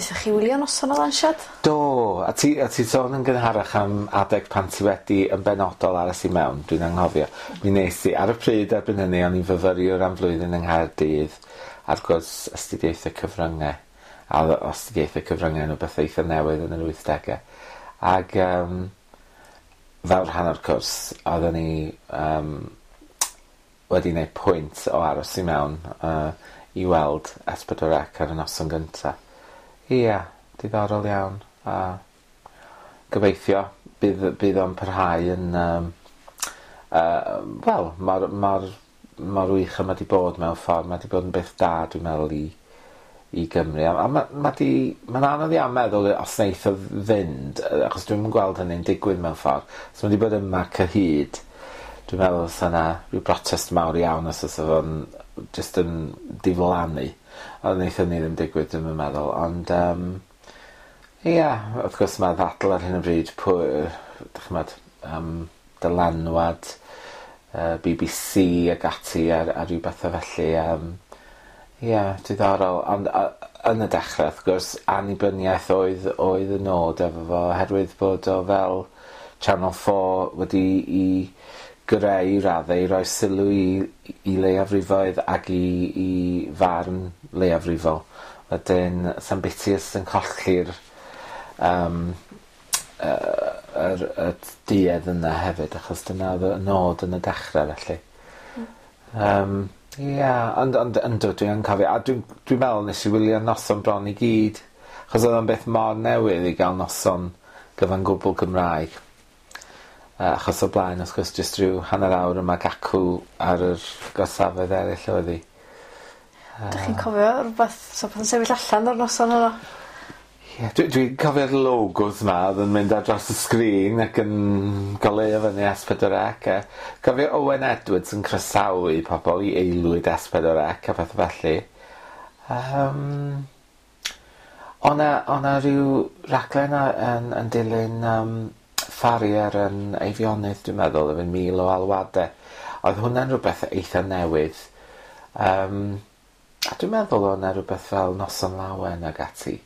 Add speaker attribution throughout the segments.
Speaker 1: Naethoch chi wylio noson o lansiad?
Speaker 2: Do, a ti a ti sôn yn gynharach am adeg pan ti wedi yn benodol aros i mewn, dwi'n anghofio. Mi nes i ar y pryd erbyn hynny o'n i'n fyfyriwr am flwyddyn yng Nghaerdydd ar gwrs astudiaethau cyfryngau. A o'dd astudiaethau cyfryngau yn rwbeth eitha newydd yn yr wythdege. Ag yym fel rhan o'r cwrs oedden ni yym wedi neud pwynt o aros i mewn yy i weld S4C ar y noson gynta. Ia, diddorol iawn a gobeithio bydd bydd o'n parhau yn yym yy wel mor mor mor wych a ma' 'di bod mewn ffordd ma' 'di bod yn beth da dwi'n meddwl i i Gymru a a ma' ma' 'di ma'n anodd iawn meddwl os neith o fynd yy achos dwi'm yn gweld hynny'n digwydd mewn ffordd. So ma' 'di bod yma cyhyd dwi'n meddwl fysa 'na ryw brotest mawr iawn os fysa fo'n jyst yn diflannu. Ond neith hynny ddim digwydd dwi'm yn meddwl ond yym ia wrth gwrs ma' ddadl ar hyn o bryd pwy dych ch'mod yym dylanwad yy Bee Bee See ag ati ar ar ryw bethe felly yym ia diddorol ond yy yn y dechre wrth gwrs annibyniaeth oedd oedd y nod efo fo oherwydd bod o fel Channel Four wedi 'i greu i radde i roi sylw i i leiafrifoedd ag i i farn leiafrifol. Wedyn sa'm biti os yn colli'r yym yy yr y duedd yna hefyd achos dyna odd y nod yn y dechre felly. Yym ia ond ond yndw dwi yn cofio a dwi'n dwi me'wl nes i wylio noson bron i gyd achos odd o'n beth mor newydd i ga'l noson gyfan gwbwl Gymraeg. Yy achos o blaen wrth gwrs jyst ryw hanner awr yma ac acw ar yr gorsafoedd eryll oedd 'i.
Speaker 1: Dych chi'n cofio rwbath so pan sefyll allan o'r noson yna?
Speaker 2: Ie dwi dwi'n cofio'r logos 'ma odd yn mynd ar draws y sgrin ac yn goleuo fyny Es Pedwar Ec a cofio Owen Edwards yn croesawu pobol i aelwyd Es Pedwar Ec a pethe felly. Yym. O' 'na o' 'na ryw raglen a yn yn dilyn yym ffarier yn Eifionydd dwi'n meddwl efo 1000 o alwade. Oedd hwnna'n rwbeth eitha newydd. Yym a dwi'n meddwl o' 'na rwbeth fel Noson Lawen ag ati.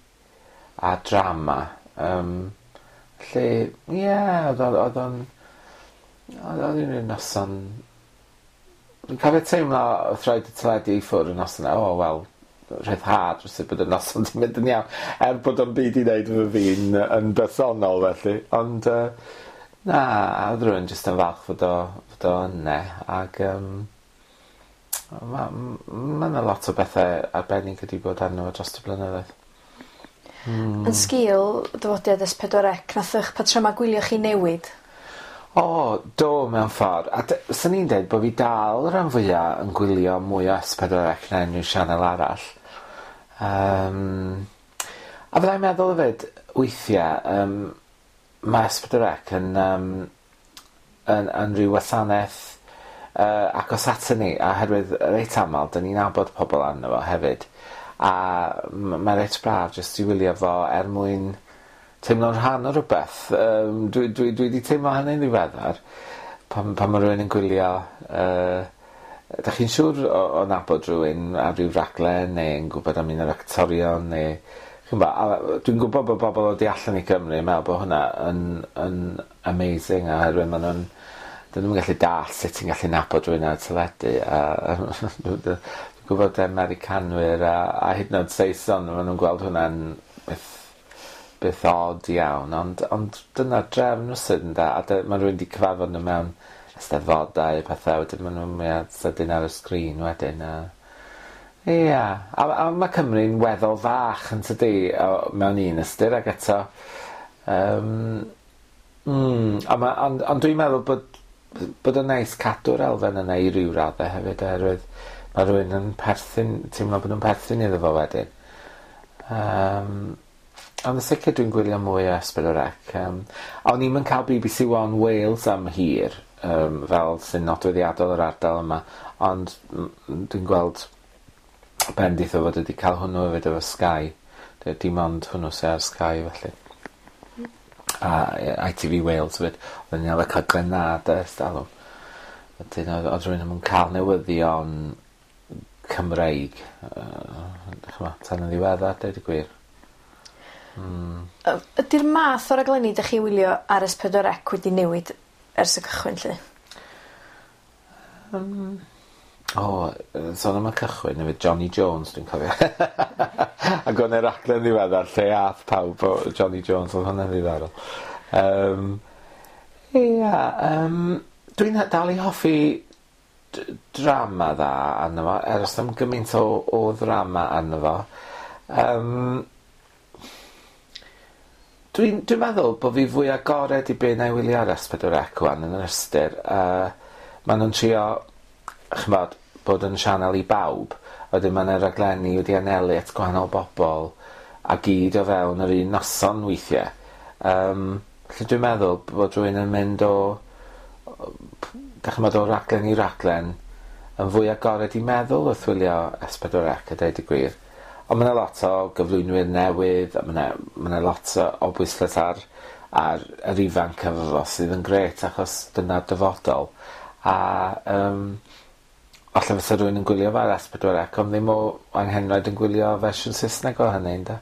Speaker 2: A drama. Yym felly ie odd o odd o'n odd o'n ryw noson Dwi'n cofio teimlo wrth roid y teledu i ffwr' y noson 'na o wel rhyddhad rywsut bod y noson 'di mynd yn iawn er bod o'm byd i neud efo fi'n yn bersonol felly ond yy na odd rywun jyst yn falch fod o fod o yne ag yym ma' m- ma' 'na lot o bethe arbennig wedi bod arno fo drost y blynyddoedd. Hmm.
Speaker 1: Yn sgil dyfodiad Es Pedwar Ec nath 'ych patryma gwylio chi newid?
Speaker 2: O do mewn ffor a dy- swn i'n deud bo' fi dal ran fwya yn gwylio mwy o Es Pedwar Ec na unryw sianel arall. Yym a fyddai'n meddwl efyd weithie yym ma' Es Pedwar Ec yn yym yn yn ryw wasaneth yy agos aton ni oherwydd reit amal 'dyn ni'n nabod pobol arno fo hefyd a m- ma' reit braf jyst i wylio fo er mwyn teimlo'n rhan o rwbeth yym dwi dwi dwi 'di teimlo hynny'n ddiweddar pan pan ma' rywun yn gwylio yy 'dach chi'n siŵr o o nabod rywun ar ryw raglen neu yn gwbod am un o'r actorion ne' ch'mbo' a dwi'n gwbod bo' bobol o du allan i Gymru yn me'wl bo' hwnna yn yn amazing oherwydd ma' nw'n 'dyn nw'm yn gallu dall' sut ti'n gallu nabod rywun ar y teledu a dwi'n gwbod Americanwyr a a hyd yn o'd Saeson ma' nw'n gweld hwnna'n beth beth od iawn ond ond dyna'r drefn rywsut ynde a dy- ma' rywun 'di cyfarfod nw mewn eisteddfodau a pethe wedyn ma' nw'n mwya sydyn ar y sgrin wedyn a ia a a ma' Cymru'n weddol fach yntydi o mewn un ystyr ag eto yym mm a ma' ond ond dwi'n meddwl bod bod o'n neis cadw'r elfen yna i ryw radde hefyd oherwydd ma' rywun yn perthyn teimlo bod nw'n perthyn iddo fo wedyn. Yym. Ond yn sicir dwi'n gwylio mwy o S4C yym o'n i'm yn ca'l Bee Bee See One Wales am hir yym fel sy'n nodweddiadol yr ardal yma ond m- m- dwi'n gweld bendith o fod wedi ca'l hwnnw efyd efo Sky. Dy- dim ond hwnnw sy ar Sky felly. A ie I Tee Vee Wales 'fyd. Odden ni arfer ca'l Granada ers dalwm. Wedyn odd odd rywun ddim yn ca'l newyddion Cymreig yy ch'mo' tan yn ddiweddar deud y gwir.
Speaker 1: Ydy'r math o raglenni 'dach chi wylio ar S4C wedi newid ers y cychwyn 'lly?
Speaker 2: O, sôn am y cychwyn efo Johnny Jones dwi'n cofio. Ac o'n e raglen ddiweddar lle ath pawb o Johnny Jones, oedd hwnna'n ddiddorol. Ia, dwi'n dal i hoffi drama dda arno fo, er os am gymaint o ddrama arno fo. Dwi'n meddwl bod fi fwy agored i be na i wylio ar S4C wan yn yr ystyr. Maen nhw'n trio, ch'mod, bod yn sianel i bawb. Wedyn mae yna raglenni wedi anelu at gwahanol bobl a gyd o fewn yr un noson weithiau. Felly dwi'n meddwl bod rhywun yn mynd o, dach ch'mod, o raglen i raglen yn fwy agored i meddwl wrth wylio S4C a deud y gwir. Ond ma' 'na lot o gyflwynwyr newydd a ma' 'na lot o bwyslais ar yr ifanc efo fo sydd yn grêt achos dyna'r dyfodol. A falle fysa rhywun yn gwylio fe ar S4C ond ddim o anghenraid yn gwylio fersiwn Saesneg o hynny ynde?